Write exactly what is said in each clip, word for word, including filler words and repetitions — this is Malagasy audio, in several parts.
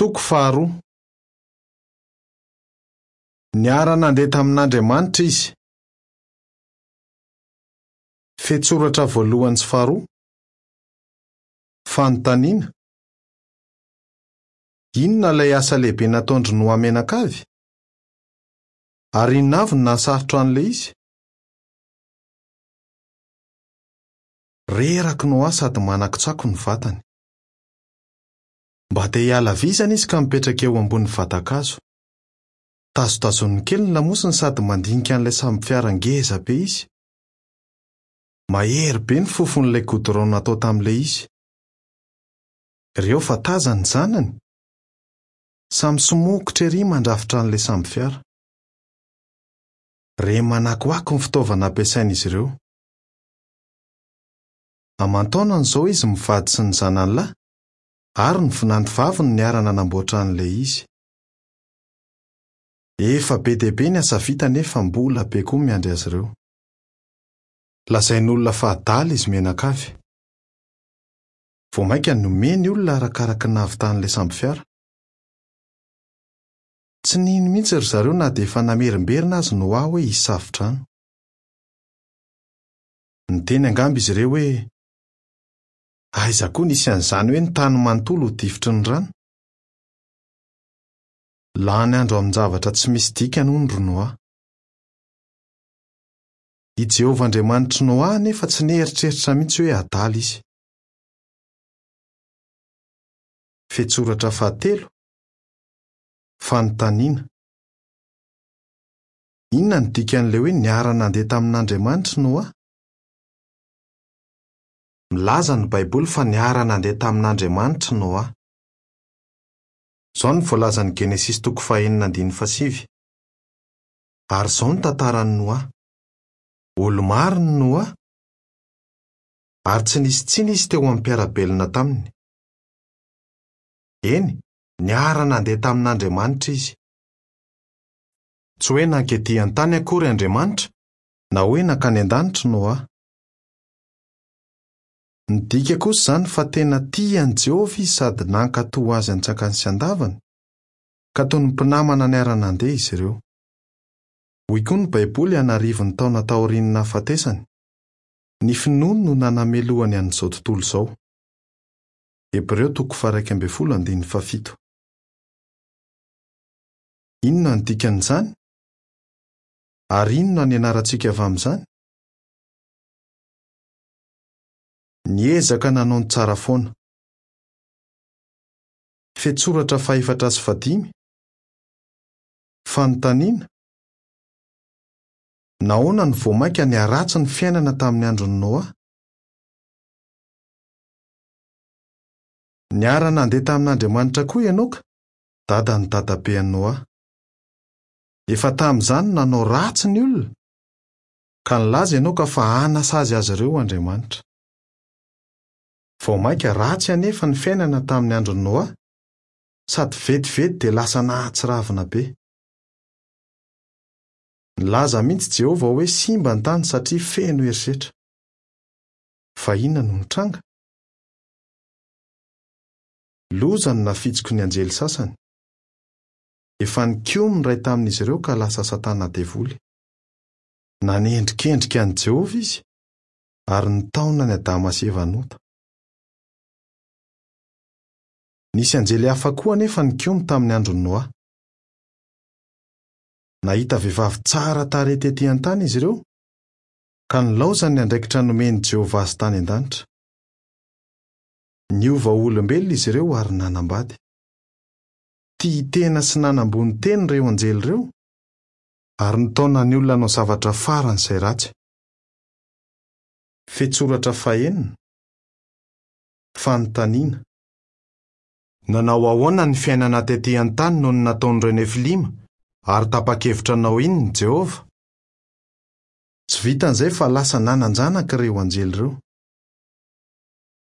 Toko faharoa. Niara-nandeha tamin'Andriamanitra izy. Fehintsoratra voalohany sy faharoa. Fanontaniana. Inona ilay asa lehibe nataon-dry Noa mianakavy? Ary inona avy no nahasarotra an'ilay izy? Reraka Noa sady manakotsako ny vatany. Mba te hiala vizana izy ka mipetraka eo ambony vatan-kazo. Tazotazoniny kely ny lamosiny sady mandinika an'ilay sambo fiara ngeza be izy. Mahery be ny fofon'ilay goudron natao tamin'ilay izy. Ireo fa tazany ny zanany. Samy somokotra ery mandrafitra an'ilay sambo fiara. Re manakoako ny fitaovana ampiasain'izy ireo. Aman-taonany izao izy mivady sy ny zanany lahy, ary ny vinantovaviny niara-nanamboatra an'ilay izy. Efa be dia be ny asa vita nefa mbola be koa miandry azy ireo. Lazain'olona fa adala izy mianakavy. Vao mainka nomeny olona arakaraka ny nahavitan'ilay sambo fiara. Tsy nino mihitsy ry zareo na dia efa namerimberina azy Noa hoe hisy safo-drano. Niteny angamba izy ireo hoe aiza koa nisy an'izany hoe ny tany manontolo ho difotry ny rano. Lany andro amin-javatra tsy misy dikany hono ry Noa. I Jehovah Andriamanitr'i Noa nefa tsy nieritreritra mihitsy hoe adala izy. Fehintsoratra fahatelo. Fanontaniana. Inona no dikan'ilay hoe niara-nandeha tamin'Andriamanitra Noa? Milaza ny Baiboly fa niara-nandeha tamin'Andriamanitra Noa. Izao no voalazan'ny Genesisy toko fahenina andininy fahasivy. Ary izao no tantaran'i Noa. Olo-marina Noa, ary tsy nisy tsiny izy teo amin'ny mpiara-belona taminy. Eny, niara-nandeha tamin'Andriamanitra izy. Tsy hoe nankety an-tany akory Andriamanitra, na hoe nankany an-danitra Noa. Midika kosa izany fa tena tia an'i Jehovah izy sady nankatò azy an-tsakany sy an-davany, ka toy ny mpinamana niara-nandeha izy ireo. Hoy koa ny Baiboly an'arivony taona taorian'ny nahafatesany. Ny finoany no nanamelohany an'izao tontolo izao. Hebreo toko faha-iraika ambin'ny folo andininy fahafito. Inona no dikan'izany? Ary inona no ianarantsika avy amin'izany? Niezaka nanao ny tsara foana. Fehintsoratra fahefatra sy fahadimy. Fanontaniana. Nahoana no vao mainka niharatsy ny fiainana tamin'ny andron'i Noa? Niara-nandeha tamin'Andriamanitra koa Enoka, dadan'ny dadabean'i Noa. Efa tamin'izany no nanao ratsy ny olona, ka nilaza Enoka fa hanasazy azy ireo Andriamanitra. Vao mainka ratsy anefa ny fiainana tamin'ny andron'i Noa, sady vetivety dia lasa nahatsiravina be. Nilaza mihitsy Jehovah hoe simba ny tany satria feno herisetra. Fa inona no nitranga? Loza no nafitsiko ny anjely sasany. Efa nikomy ny iray tamin'izy ireo ka lasa Satana devoly. Nanendrikendrika an'i Jehovah izy ary nitaona an'i Adama sy Eva hanota. Nisy anjely hafa koa anefa nikomy tamin'ny andron'i Noa. Nahita vehivavy tsara tarehy tetỳ an-tany izy ireo, ka nilaozany ny andraikitra nomen'i Jehovah azy tany an-danitra. Niova ho olombelona izy ireo ary nanambady. Tia tena sy nanambony tena ireo anjely ireo, ary nitaona ny olona hanao zavatra faran'izay ratsy. Fehintsoratra fahenina. Fanontaniana. Nanao ahoana ny fiainana tetỳ an-tany noho ny nataon'ireo Nefilima, ary tapa-kevitra hanao inona Jehovah? Tsy vitan'izay fa lasa nanan-janaka ireo anjely ireo.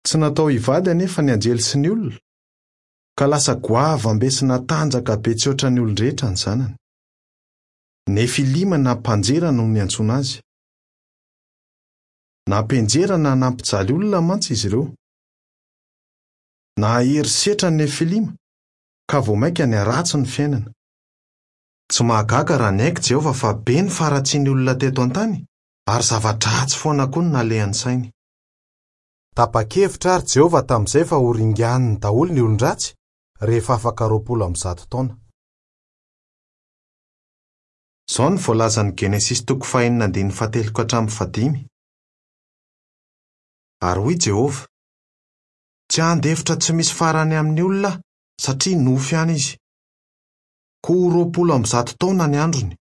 Tsy natao hivady anefa ny anjely sy ny olona, ka lasa goavam-be sy natanjaka be tsy ohatran'ny olon-drehetra ny zanany. Nefilima na mpanjera no niantsoana azy. Nampianjera na nampijaly olona mantsy izy ireo. Nahery setra ny Nefilima, ka vao mainka niharatsy ny fiainana. Tsy mahagaga raha niaiky Jehovah fa be ny faharatsian'ny olona teto an-tany, ary zava-dratsy foana koa no nalehan'ny sainy. Tapa-kevitra ary Jehovah tamin'izay fa ho ringaniny daholo ny olon-dratsy rehefa afaka roapolo amby zato taona. Izao no voalazan'ny Genesisy toko fahenina andininy fahatelo ka hatramin'ny fahadimy. Ary hoy Jehovah: "Tsy handefitra tsy misy farany amin'ny olona aho, satria nofo ihany izy. Koa ho roapolo amby zato taona ny androny."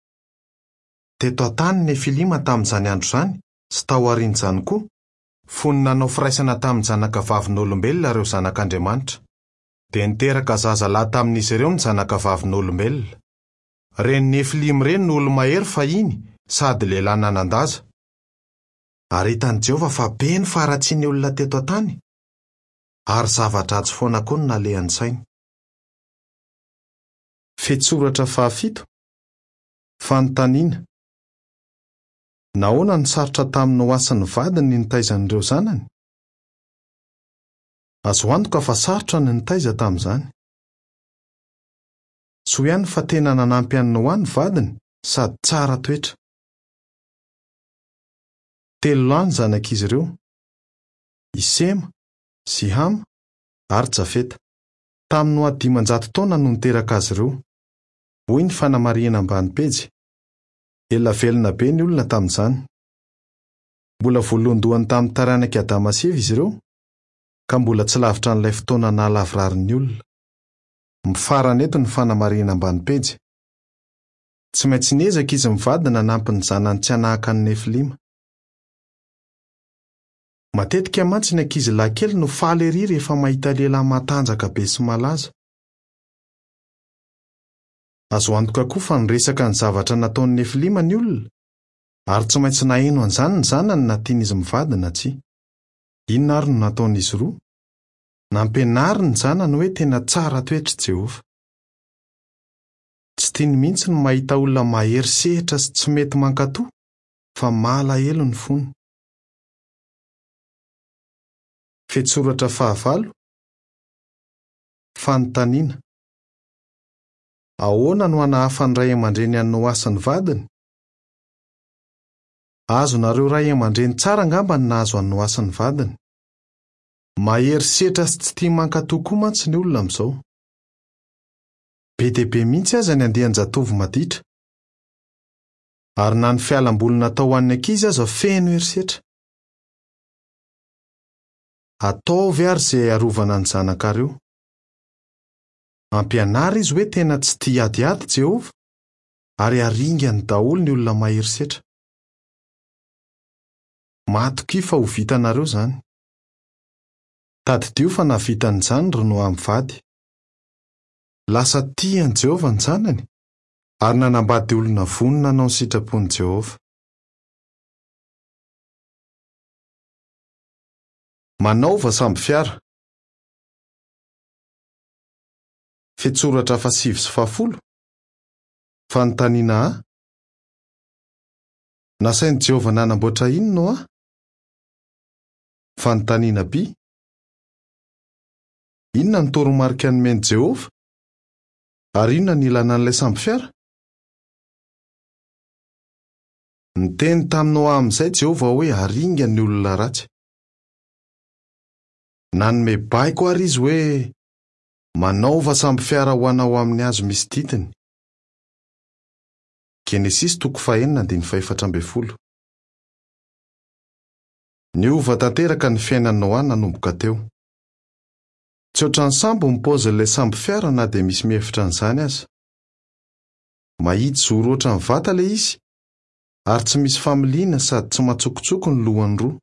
Teto an-tany ny Nefilima tamin'izany andro izany sy tao aorian'izany koa, fony nanao firaisana tamin'ny zanakavavin'olombelona ireo zanak'Andriamanitra. Dia niteraka zazalahy tamin'izy ireo ny zanakavavin'olombelona. Ireny Nefilima ireny no olo-mahery fahiny sady lehilahy nanan-daza. Ary hitan'i Jehovah fa be ny faharatsian'ny olona teto an-tany, ary zava-dratsy foana koa no nalehan'ny sainy. Fehintsoratra fahafito. Fanontaniana: nahoana no sarotra tamin'i Noa sy ny vadiny ny nitaiza an'ireo zanany? Azo antoka fa sarotra ny nitaiza tamin'izany. Soa ihany fa tena nanampy an'i Noa ny vadiny sady tsara toetra. Telo lahy ny zanak'izy ireo: i Sema sy Hama ary Jafeta. Tamin'ny Noa dimanjato taona no niteraka azy ireo. Hoy ny fanamarihana ambany pejy. Ela velona be ny olona tamin'izany. Mbola voalohandohany tamin'ny taranak'i Adama sy Eva izy ireo, ka mbola tsy lavitra an'ilay fotoana nahalavorary olona. Mifarana eto ny fanamarihana ambany pejy. Tsy maintsy niezaka izy mivady nanampy ny zanany tsy hanahaka ny Nefilima. Matetika mantsy ny ankizy lahy kely no faly ery rehefa mahita lehilahy matanjaka be sy malaza. Azo antoka koa fa niresaka ny zavatra nataon'ny Nefilima ny olona, ary tsy maintsy naheno an'izany ny zanany na tian'izy mivady na tsia. Inona ary no nataon'izy roa? Nampianariny ny zanany hoe tena tsara toetra Jehovah. Tsy tiany mihitsy ny mahita olona mahery sehatra sy tsy mety mankatò, fa malahelo ny fony. Fehintsoratra fahavalo. Fanontaniana: ahoana no hanahafan'ny ray aman-dreny an'i Noa sy ny vadiny? Azonareo ray aman-dreny tsara angamba ny nahazo an'i Noa sy ny vadiny. Mahery setra sy tsy tia mankatò koa mantsy ny olona amin'izao. Be dia be mihitsy aza ny andian-jatovo maditra. Ary na ny fialamboly natao ho an'ny ankizy aza feno herisetra. Ataovy ary izay arovana ny zanakareo. Ampianary izy hoe tena tsy tia adiady Jehovah, ary haringany daholo ny olona mahery setra. Matokia fa ho vitanareo izany. Tadidio fa nahavita an'izany ry Noa mivady. Lasa tia an'i Jehovah ny zanany, ary nanambady olona vonona hanao ny sitrapon'i Jehovah. Manaova sambo fiara. Fehintsoratra fahasivy sy fahafolo. Fanontaniana A: nasain'i Jehovah nanamboatra inona Noa? Fanontaniana B: inona ny toromarika nomen'i Jehovah? Ary inona ny ilana an'ilay sambo fiara? Niteny tamin'i Noa amin'izay Jehovah hoe haringa ny olona ratsy. Nanome baiko ary izy hoe manaova sambo fiara ho anao amin'ny hazo misy didiny. Genesisy toko fahenina andininy fahefatra ambin'ny folo. Niova tanteraka ny fiainan'i Noa nanomboka teo. Tsy ohatran'ny sambo ny paozin'ilay sambo fiara na dia misy mihevitra an'izany aza. Mahitsy zoro ohatran'ny vata ilay izy, ary tsy misy familiana sady tsy matsokotsoko ny lohany roa.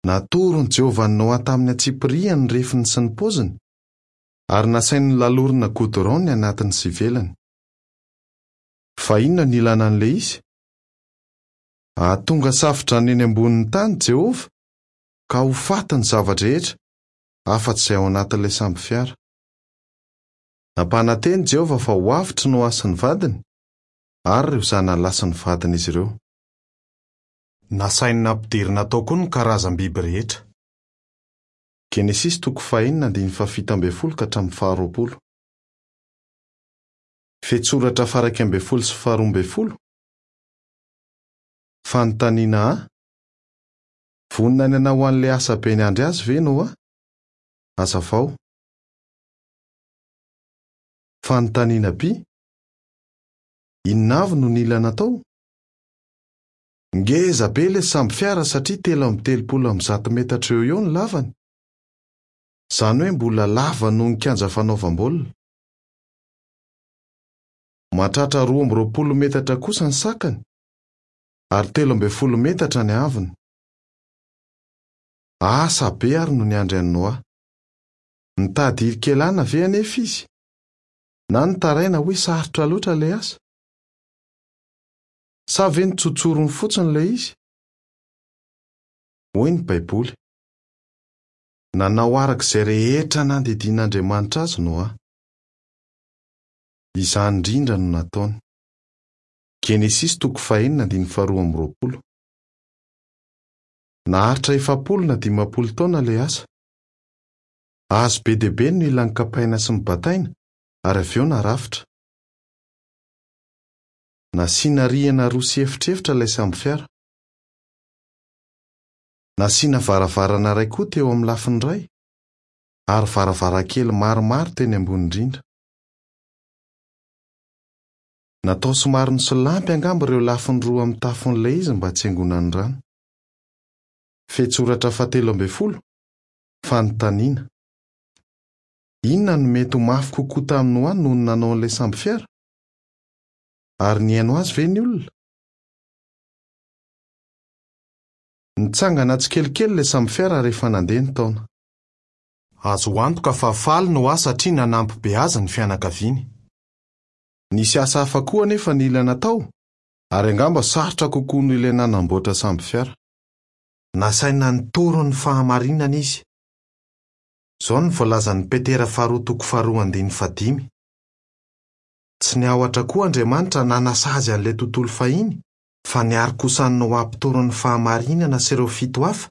Natoron'i Jehovah an'i Noa tamin'ny antsipiriany ny refiny sy ny paoziny, ary nasainy lalorina goudron ny anatiny sy ivelany. Fa inona ny ilana an'ilay izy? Hahatonga safodrano eny ambonin'ny tany Jehovah, ka ho faty ny zava-drehetra, afa-tsy izay ao anatin'ilay sambo fiara. Nampanantena Jehovah fa ho avotra Noa sy ny vadiny, ary ireo zanany lahy sy ny vadin'izy ireo. Nasainy nampidirina tao koa ny karazam-biby rehetra. Genesisy toko fahenina andininy fahafito ambin'ny folo ka hatramin'ny faharoapolo. Fehintsoratra faha-iraika ambin'ny folo sy faharoa ambin'ny folo. Fanontaniana A. Vonona ny hanao an'ilay asa be niandry azy ve Noa? Hazavao. Fanontaniana B. Inona avy no nila natao? Ngeza be ilay sambo fiara satria telo amby telopolo amby zato metatra eo eo ny lavany. Izany hoe mbola lava noho ny kianja fanaovam-baolina. Mahatratra roa amby roapolo metatra kosa ny sakany ary telo ambin'ny folo metatra ny haavony. Asa be ary no niandry an'i Noa. Nitady hirikelana ve anefa izy? Na nitaraina hoe sarotra loatra ilay asa? Sa ve nitsotsorony fotsiny ilay izy? Hoy ny Baiboly. Nanao araka izay rehetra nandidian'Andriamanitra azy Noa. Izany indrindra no nataony. Genesisy toko fahenina andininy faharoa amby roapolo. Naharitra efapolo na dimampolo taona ilay asa. Hazo be dia be no nila nokapaina sy nobataina ary avy eo narafitra. Nasiana rihana roa sy efitrefitra ilay sambo fiara. Nasiana varavarana iray koa teo amin'ny lafiny iray ary varavarankely maromaro teny ambony indrindra. Natao somary nisolampy angamba ireo lafiny roa amin'ny tafon'ilay izy mba tsy hangonan'ny rano. Fehintsoratra fahatelo ambin'ny folo. Fanontaniana. Inona no mety ho mafy kokoa tamin'i Noa noho ny nanao an'ilay sambo fiara? Ary nihaino azy ve ny olona? Nitsangana tsikelikely ilay sambo fiara rehefa nandeha ny taona. Azo antoka fa faly Noa satria nanampy be azy ny fianakaviany. Nisy asa hafa koa anefa nila natao, ary angamba sarotra kokoa noho ilay nanamboatra sambo fiara. Nasaina nitory ny fahamarinana izy. Izao no voalazan'i Petera faharoa toko faharoa andininy fahadimy. Tsy niahotra koa Andriamanitra nanasazy an'ilay tontolo fahiny, fa niaro kosa an'i Noa mpitory ny fahamarinana sy ireo fito hafa,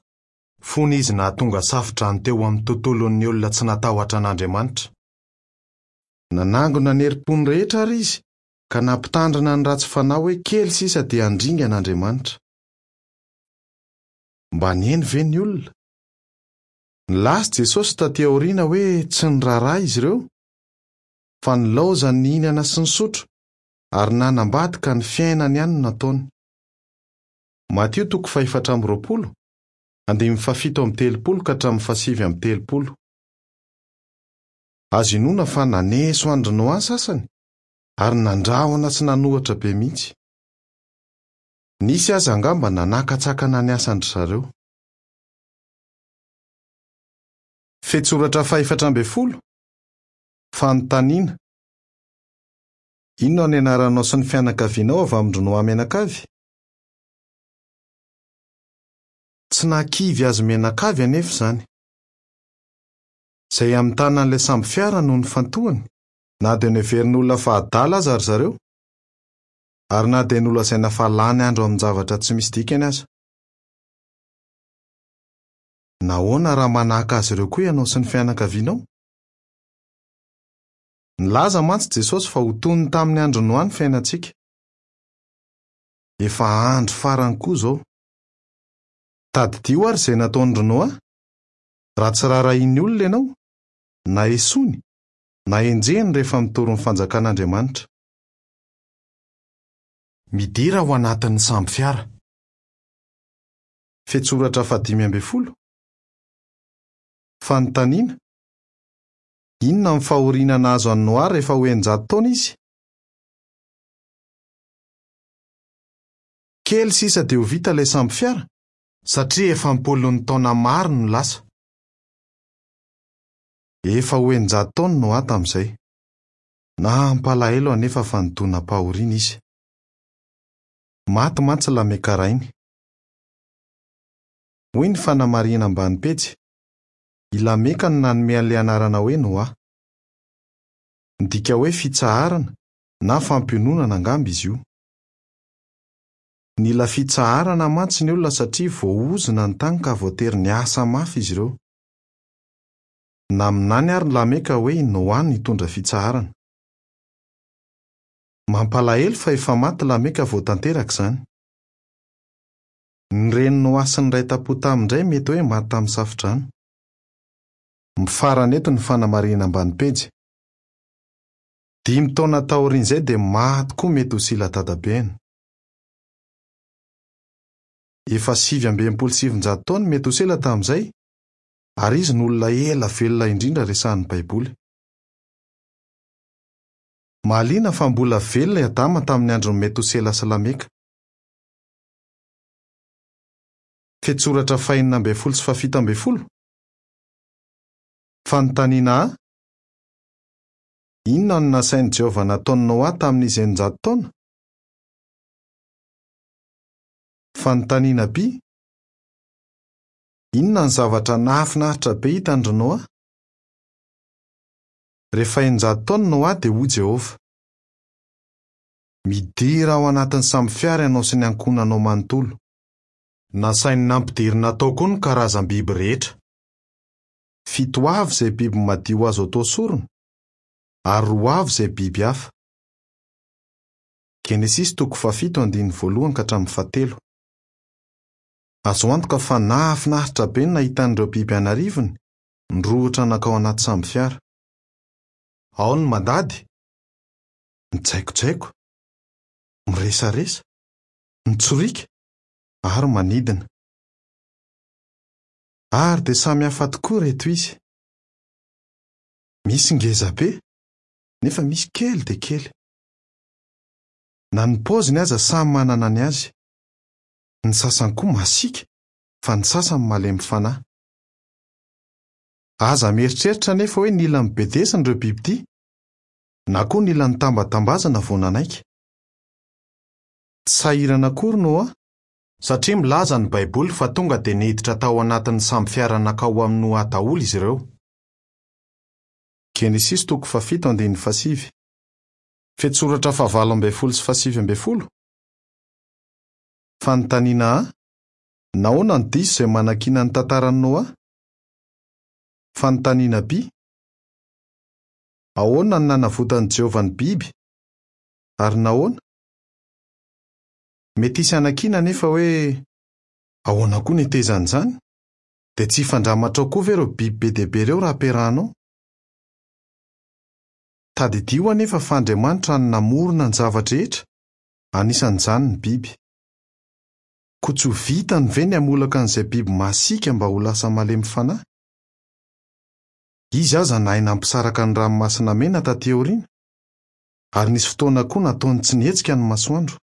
fony izy nahatonga safodrano teo amin'ny tontolon'ny olona tsy natahotra an'Andriamanitra. Nanangona ny herim-pony rehetra ary izy, ka nampitandrina ny ratsy fanahy hoe kely sisa dia handringana Andriamanitra. Mba nihaino ve ny olona? Nilaza Jesosy taty aoriana hoe tsy niraharaha izy ireo, fa nilaozany nihinana sy nisotro ary nanambady ka ny fiainany ihany no nataony. Matio toko fahefatra amby roapolo, andininy fahafito amby telopolo ka hatramin'ny fahasivy amby telopolo. Azo inoana fa naneso an-dry Noa sasany ary nandrahona sy nanohatra be mihitsy. Nisy aza angamba nanakatsakana ny asan-dry zareo. Fehintsoratra fahefatra ambin'ny folo. Fanontaniana. Inona no nianaranao sy ny fianakavianao avy amin-dry Noa mianakavy? Tsy nahakivy azy mianakavy anefa izany. Izay amin'ny tanan'ilay sambo fiara no nifantohany, na dia noheverin'olona fa adala aza ry zareo, ary na dia nolazaina fa lany andro amin-javatra tsy misy dikany aza. Nahoana raha manahaka azy ireo koa ianao sy ny fianakavianao? Nilaza mantsy Jesosy fa ho toy ny tamin'ny andro Noa ny fiainantsika. Efa andro farany koa izao. Tadidio ary izay nataon-dry Noa. Raha tsy raharahian'ny olona ianao, na esoiny, na enjehiny rehefa mitory ny fanjakan'Andriamanitra. Midira ao anatin'ny sambo fiara. Fehintsoratra fahadimy ambin'ny folo. Fanontaniana. Inona ny fahoriana nahazo an'i Noa rehefa ho eninjato taona izy? Kely sisa dia ho vita ilay sambo fiara, satria efa am-polony taona maro no lasa. Efa ho eninjato taona Noa tamin'izay. Nampalahelo anefa fa nidonam-pahoriana izy. Maty mantsy Lameka rainy. Hoy ny fanamarihana ambany pejy. I Lameka no nanome an'ilay anarana hoe Noa. Midika hoe fitsaharana na fampiononana angamba izy io. Nila fitsaharana mantsy ny olona satria voaozona ny tany ka voatery niasa mafy izy ireo. Naminany àry Lameka hoe i Noa no hitondra fitsaharana. Mampalahelo fa efa maty Lameka vao tanteraka izany. Ny renin'i Noa sy ny iray tam-po taminy indray mety hoe maty tamin'ny safodrano. Mifarana eto ny fanamarihana ambany pejy. Dimy taona taorian'izay dia maty koa Metosela dadabeny. Efa sivy amby enimpolo sy sivinjato taona Metosela tamin'izay, ary izy no olona ela velona indrindra resahin'ny Baiboly. Mahaliana fa mbola velona i Adama tamin'ny andron'i Metosela sy Lameka. Fehintsoratra fahenina ambin'ny folo sy fahafito ambin'ny folo. Fanontaniana A. Inona no nasain'i Jehovah nataon'i Noa tamin'izy eninjato taona? Fanontaniana B. Inona ny zavatra nahafinaritra be hitan-dry Noa? Rehefa eninjato taona Noa dia hoy Jehovah: Midira ao anatin'ny sambofiara ianao sy ny ankohonanao manontolo. Nasainy nampidirina tao koa ny karazam-biby rehetra. Fito avy izay biby madio azo atao sorona, ary roa avy izay biby hafa. Genesisy toko fahafito andininy voalohany ka hatramin'ny fahatelo. Azo antoka fa nahafinaritra be ny nahita an'ireo biby an'arivony nirohotra nankao anaty sambofiara. Ao ny mandady, mijaikojaiko, miresaresa, mitsoriaka ary manidina. Ary dia samy hafa tokoa ireto izy. Misy ngeza be, nefa misy kely dia kely. Na ny paoziny aza samy manana ny azy. Ny sasany koa masiaka, fa ny sasany malemy fanahy. Aza mieritreritra nefa hoe nila nibedesina ireo biby ity, na koa nila nitambatambazana vao nanaiky. Tsy sahirana akory Noa, satria milaza ny Baiboly fa tonga dia niditra tao anatin'ny sambofiara nankao amin'i Noa daholo izy ireo. Genesisy toko fahafito andininy fahasivy. Fehintsoratra fahavalo ambin'ny folo sy fahasivy ambin'ny folo. Fanontaniana A. Nahoana no diso izay manakiana ny tantaran'i Noa? Fanontaniana B. Ahoana no nanavotan'i Jehovah ny biby? Ary nahoana? Mety hisy hanakiana nefa hoe ahoana koa ny hetezan'izany? Dia tsy hifandramatra ao koa ve ireo biby be dia be ireo raha ampiarahanao? Tadidio anefa fa Andriamanitra no namorona ny zava-drehetra, anisan'izany ny biby. Koa tsy ho vitany ve ny hamolaka an'izay biby masiaka mba ho lasa malemy fanahy? Izy aza nahay nampisaraka ny ranomasina mena taty aoriana, ary nisy fotoana koa nataony tsy nihetsika ny masoandro.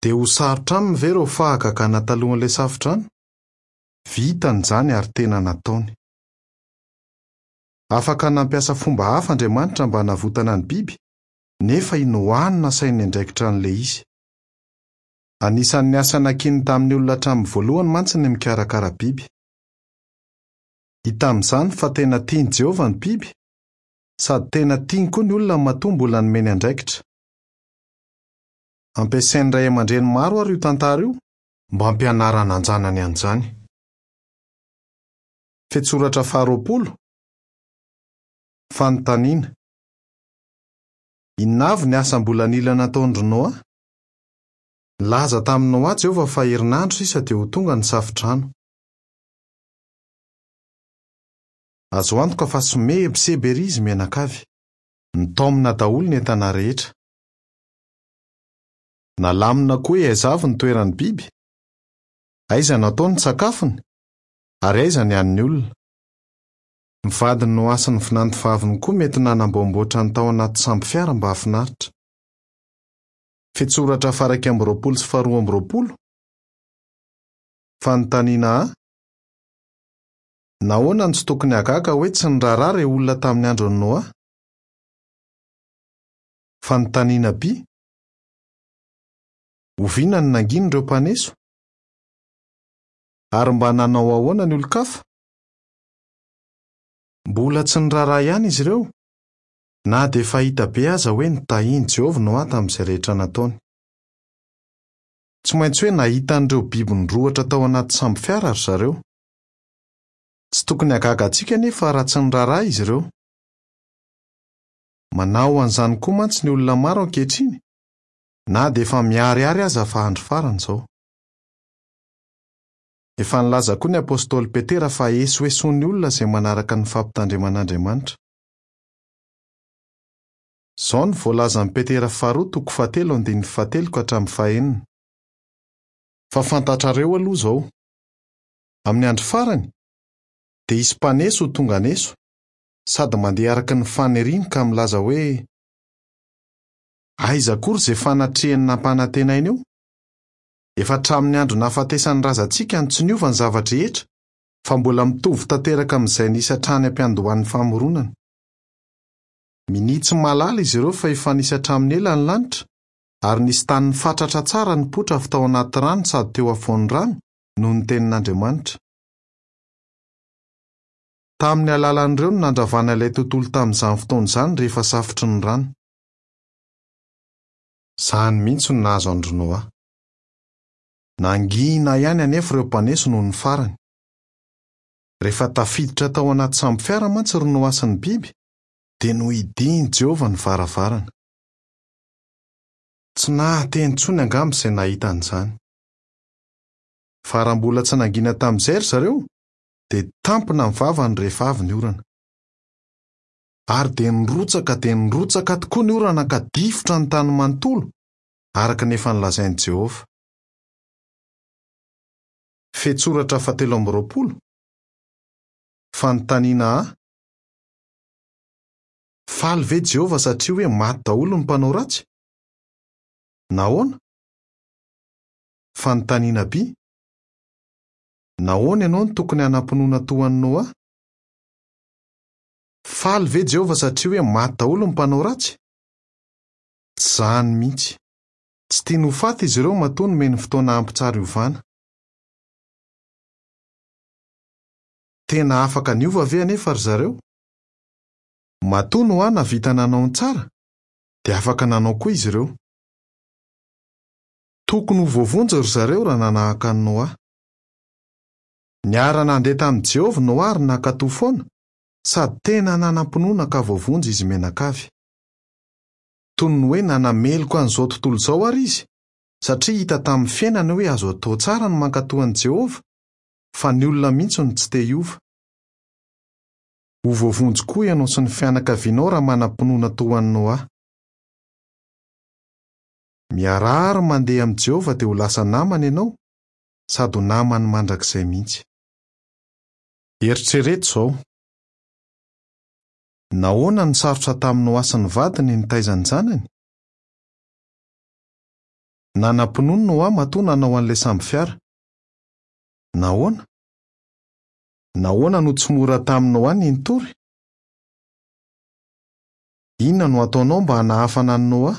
Dia ho sarotra aminy ve ireo fahagagana talohan'ilay safodrano? Vitany izany ary tena nataony. Afaka nampiasa fomba hafa Andriamanitra mba hanavotana ny biby, nefa i Noa no nasainy niandraikitra an'ilay izy. Anisan'ny asa nankininy tamin'ny olona hatramin'ny voalohany mantsy ny mikarakara biby. Hita amin'izany fa tena tian'i Jehovah ny biby, sady tena tiany koa ny olona matoa mbola nomeny andraikitra. Ampiasain'ny ray aman-dreny maro ary io tantara io mba hampianarana an-janany an'izany. Fehintsoratra faharoapolo. Fanontaniana. Inona avy ny asa mbola nila nataon-dry Noa? Nilaza tamin'i Noa Jehovah fa herinandro sisa dia ho tonga ny safodrano. Azo antoka fa somebiseby ery izy mianakavy. Nitaomina daholo ny entana rehetra. Nalamina koa hoe aiza avy ny toeran'ny biby, aiza no atao ny sakafony, ary aiza ny an'ny olona. Ny vadin'i Noa sy ny vinantovaviny koa mety nanamboamboatra ny tao anaty sambofiara mba hahafinaritra. Fehintsoratra faha-iraika amby roapolo sy faharoa amby roapolo. Fanontaniana A. Nahoana no tsy tokony hagaga hoe tsy niraharaha ireo olona tamin'ny andron'i Noa? Fanontaniana B. Oviana no nangina ireo mpaneso? Ary mba nanao ahoana ny olon-kafa? Mbola tsy niraharaha ihany izy ireo, na dia efa hita be aza hoe nitahian'i Jehovah Noa tamin'izay rehetra nataony. Tsy maintsy hoe nahita an'ireo biby nirohotra tao anaty sambofiara ry zareo. Tsy tokony hahagaga antsika anefa raha tsy niraharaha izy ireo. Manao an'izany koa mantsy ny olona maro ankehitriny, na dia efa miharihary aza fa andro farany izao. Efa nilaza koa ny apostoly Petera fa esoesoin'ny olona izay manaraka ny fampitandreman'Andriamanitra. Izao no voalazan'i Petera faharoa toko fahatelo andininy fahatelo ka hatramin'ny fahenina. Fa fantatrareo aloha izao, amin'ny andro farany dia hisy mpaneso ho tonga haneso, sady mandeha araka ny faniriany ka milaza hoe: aiza akory izay fanatrehany nampanantenaina io? Efa hatramin'ny andro nahafatesan'ny razantsika no tsy niova ny zava-drehetra, fa mbola mitovy tanteraka amin'izay nisy hatrany am-piandohan'ny famoronana. Minia tsy mahalala izy ireo fa efa nisy hatramin'ny ela ny lanitra, ary nisy tany nifatratra tsara nipoitra avy tao anaty rano sady teo afovoan'ny rano noho ny tenin'Andriamanitra. Tamin'ny alalan'ireo no nandravana ilay tontolo tamin'izany fotoana izany rehefa safotry ny rano. Izany mihitsy no nahazo an-dry Noa. Nangina ihany anefa ireo mpaneso noho ny farany. Rehefa tafiditra tao anaty sambo fiara mantsy ry Noa sy ny biby, dia nohidian'i Jehovah ny varavarana. Tsy nahateny intsony angamba izay nahita an'izany. Fa raha mbola tsy nangina tamin'izay ry zareo, dia tampina ny vavany rehefa avy ny orana. Ary dia nirotsaka dia nirotsaka tokoa ny orana ka difotra ny tany manontolo, araka ny efa nolazain'i Jehovah. Fehintsoratra fahatelo amby roapolo. Fanontaniana A. Faly ve Jehovah satria hoe maty daholo ny mpanao ratsy? Nahoana? Fanontaniana B. Nahoana ianao no tokony hanam-pinoana toa an'i Noa? Faly ve Jehovah satria hoe maty daholo ny mpanao ratsy? Tsy izany mihitsy. Tsy tiany ho faty izy ireo matoa nomeny fotoana ampy tsara hiovana. Tena afaka niova ve anefa ry zareo? Matoa Noa nahavita nanao ny tsara, dia afaka nanao koa izy ireo. Tokony ho voavonjy ry zareo raha nanahaka an'i Noa. Niara-nandeha tamin'i Jehovah Noa ary nankatò foana, sady tena nanam-pinoana ka voavonjy izy mianakavy. Toy ny hoe nanameloka an'izao tontolo izao ary izy, satria hita tamin'ny fiainany hoe azo atao tsara ny mankatò an'i Jehovah, fa ny olona mihitsy no tsy te hiova. Ho voavonjy koa ianao sy ny fianakavianao raha manam-pinoana toa an'i Noa. Miaraha ary mandeha amin'i Jehovah dia ho lasa namany ianao, sady ho namany mandrakizay mihitsy. Eritrereto izao. Nahoana no sarotra tamin'i Noa sy ny vadiny nitaiza ny zanany? Nanam-pinoana Noa matoa nanao an'ilay sambo fiara. Nahoana? Nahoana no tsy mora tamin'i Noa ny nitory? Inona no ataonao mba hanahafana an'i Noa?